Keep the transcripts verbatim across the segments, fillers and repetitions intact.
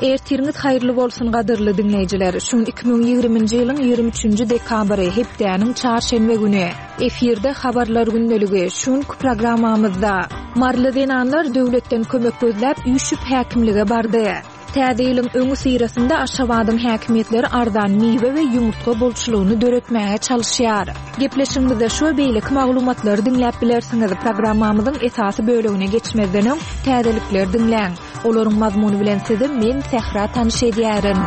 Ertiriňiz haýyrly bolsun gadyrly diňleýjiler. Şu gün iki müň ýigriminji ýylyň ýigrimi üçünji dekabry, hepdäniň çarşenbe güni. Efirde habarlar gündeligi. Şu günki programmamyzda Maryly zenanlar döwletden kömek gözläp üýşüp häkimlige bardy. Täze ýylyň öňüsyrasynda Aşgabadyň häkimiýetleri arzan miwe we ýumurtga bolçulygyny döretmäge çalyşýar. Gepleşigimizde şu we beýleki maglumatlary diňläp bilersiňiz. Programmamyzyň esasy bölegine geçmezden öň täzelikleri diňläň. Olaryň mazmuny bilen sizi men Sähra tanyş edýärin.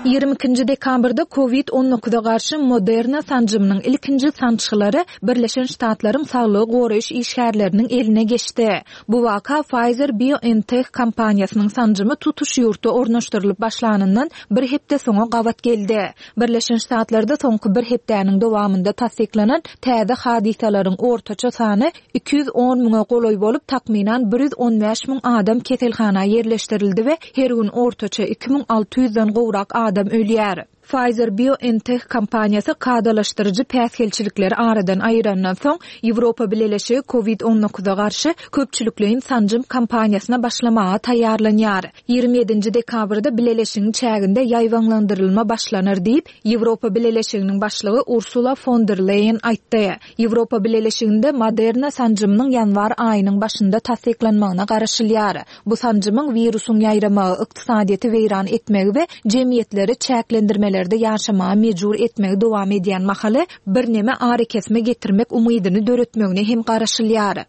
Ýigrimi ikinji dekabrda Covid on dokuza garşy Moderna sanjymynyň ilkinji sançgylary Birleşen Ştatlaryň saglygy goraýyş işgärleriniň eline geçdi. Bu waka Pfizer-BioNTech kompaniýasynyň sanjymy tutuş ýurtda ornaşdyrylyp başlanyndan bir hepde soňa gabat geldi. Birleşen Ştatlarda soňky bir hepdäniň dowamynda tassyklanan täze hadysalaryň ortaça sany iki ýüz on müňe golaý bolup, takmynan bir ýüz on bäş müň adam keselhana ýerleşdirildi we her gün ortaça iki müň alty ýüzden gowrak adam ölýär. Pfizer-BioNTech kompaniýasy kadalaşdyryjy päsgelçilikleri aradan aýyrandan soň, Ýewropa Bileleşigi Covid on dokuza garşy köpçülikleýin sanjym kampaniýasyna başlamaga taýýarlanýar. Ýigrimi ýedinji dekabrda Bileleşigiň çäginde ýaýbaňlandyrylma başlanar diýip, Ýewropa Bileleşiginiň başlygy Ursula fon der Leýen aýtdy. Ýewropa Bileleşiginde Moderna sanjymynyň ýanwar aýynyň başynda tassyklanmagyna garaşylýar. Bu sanjymyň wirusyň ýaýramagy, ykdysadyýeti weýran etmegi we jemgyýetleri çäklendirmelerde ýaşamaga mejbur etmegi dowam edýän mahaly birneme arakesme getirmek umydyny döretmegine hem garaşylýar.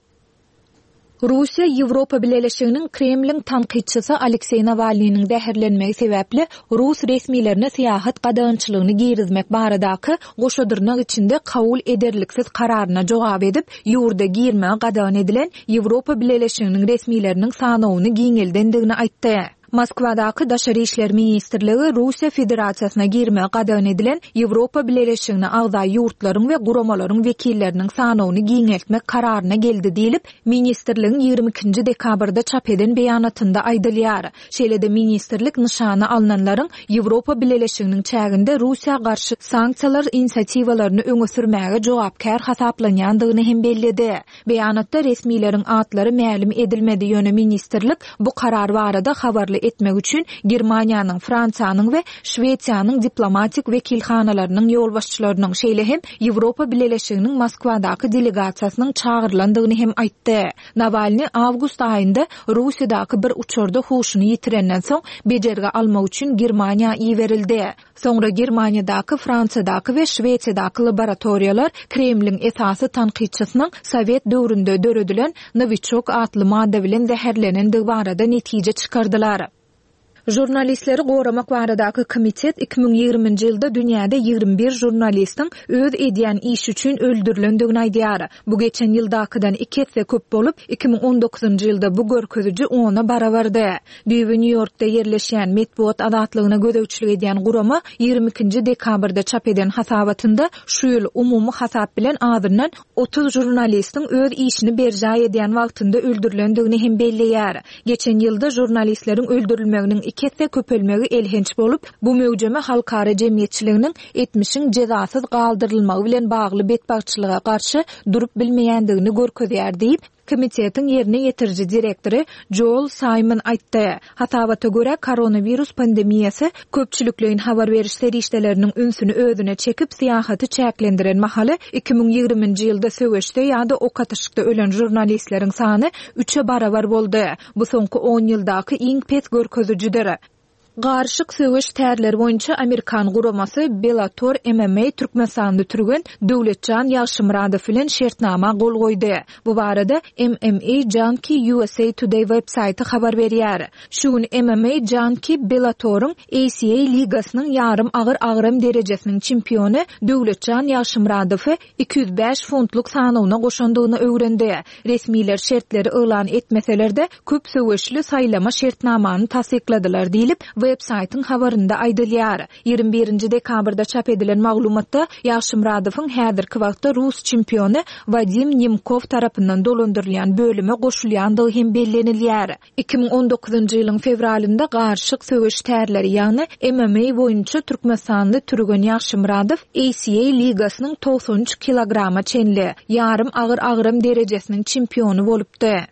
Russiýa Ýewropa Bileleşiginiň Kremliň tankytçysy Alekseý Nawalnynyň zäherlenmegi sebäpli rus resmilerine syýahat gadagançylygyny girizmek baradaky goşa dyrnak içinde kabul ederliksiz kararyna jogap edip, ýurda girmegi gadagan edilen Ýewropa Bileleşiginiň resmileriniň sanawyny giňeldendigini aýtdy. Moskwadaky Daşary işler ministrligi Russiýa Federasiýasyna girmegi gadagan edilen Ýewropa Bileleşigine agza ýurtlaryň we guramalaryň wekilleriniň sanawyny giňeltmek kararyna geldi diýlip, ministrligiň ýigrimi ikinji dekabrda çap eden beýanatynda aýdylýar. Şeýle-de ministrlik nyşana alnanlaryň Ýewropa Bileleşiginiň çäginde Russiýa garşy sanksiýalar inisiatiwalaryny öňe sürmäge jogapkär hasaplanýandygyny hem belledi. Beýanatda resmileriň atlary mälim edilmedi, ýöne ministrlik bu karar barada habarly etmek üçin Germaniýanyň, Fransiýanyň we Şwesiýanyň diplomatik wekilhanalarynyň ýolbaşçylarynyň, şeýle hem Ýewropa Bileleşiginiň Moskwadaky delegasiýasynyň çagyrylandygyny hem aýtdy. Nawalny awgust aýynda Russiýadaky bir uçarda huşuny ýitirenden soň bejergi almak üçin Germaniýa iberildi. Soňra Germaniýadaky, Fransiýadaky we Şwesiýadaky laboratoriýalar Kremliň esasy tankytçysynyň Sowet döwründe döredilen Novichok atly madda bilen zäherlenendigi barada netije çykardylar. Žurnalistleri goramak baradaky komitet iki müň ýigriminji ýylda dünýäde ýigrimi bir žurnalistiň öz edýän işi üçin öldürilendigini aýdýar. Bu geçen ýyldakydan iki esse köp bolup, iki müň on dokuzynjy ýylda bu görkeziji ona barabardy. Düýbi Nýu-Ýorkda ýerleşýän metbugat azatlygyna gözegçilik edýän gurama ýigrimi ikinji dekabrda çap eden hasabatynda şu ýyl umumy hasap bilen azyndan otuz žurnalistiň öz işini berjaý edýän wagtynda öldürilendigini hem belleýär. Geçen ýylda žurnalistleriň öldürilmeginiň iki esse köpelmegi elhenç bolup, bu möwjeme halkara jemgyýetçiliginiň etmişiň jezasyz galdyrylmagy bilen bagly betbagtçylyga garşy durup bilmeýändigini görkezýär diýip, komitetiň ýerine ýetiriji direktory Joel Simon aýtdy. Hasabata görä, koronawirus pandemiýasy köpçülikleýin habar beriş serişdeleriniň ünsüni özüne çekip, syýahaty çäklendiren mahaly iki müň ýigriminji ýylda söweşde ýa-da ok atyşykda ölen žurnalistleriň sany üçe barabar boldy. Bu soňky on ýyldaky iň pes görkezijidir. Garyşyk söweş tärleri boýunça Amerikan guramasy Bellator M M A Türkmenistanly türgen Döwletjan Ýagşymyradow bilen şertnama gol goýdy. Bu barada M M A Junkie U S A Today web saýty habar berýär. Şu gün M M A Junkie Bellatoryň A C A ligasynyň ýarym agyr agram derejesiniň çempiony Döwletjan Ýagşymyradowy iki ýüz bäş funtlyk sanawyna goşandygyny öwrendi. Resmiler şertleri yglan etmeseler-de, köp söweşli saýlama şertnamany tassykladylar diýlip, web saýtyň habarynda aýdylýar. Ýigrimi birinji dekabrda çap edilen maglumatda Ýagşymyradowyň häzirki wagtda rus çempiony Wadim Nemkov tarapyndan dolandyrylýan bölüme goşulýandygy hem bellenilýär. Iki müň on dokuzynjy ýylyň fewralynda garyşyk söweş tärleri, ýagny M M A boýunça Türkmenistanly türgen Ýagşymyradow A C A ligasynyň togsan üç kilograma çenli ýarym agyr agram derejesiniň çempiony bolupdy.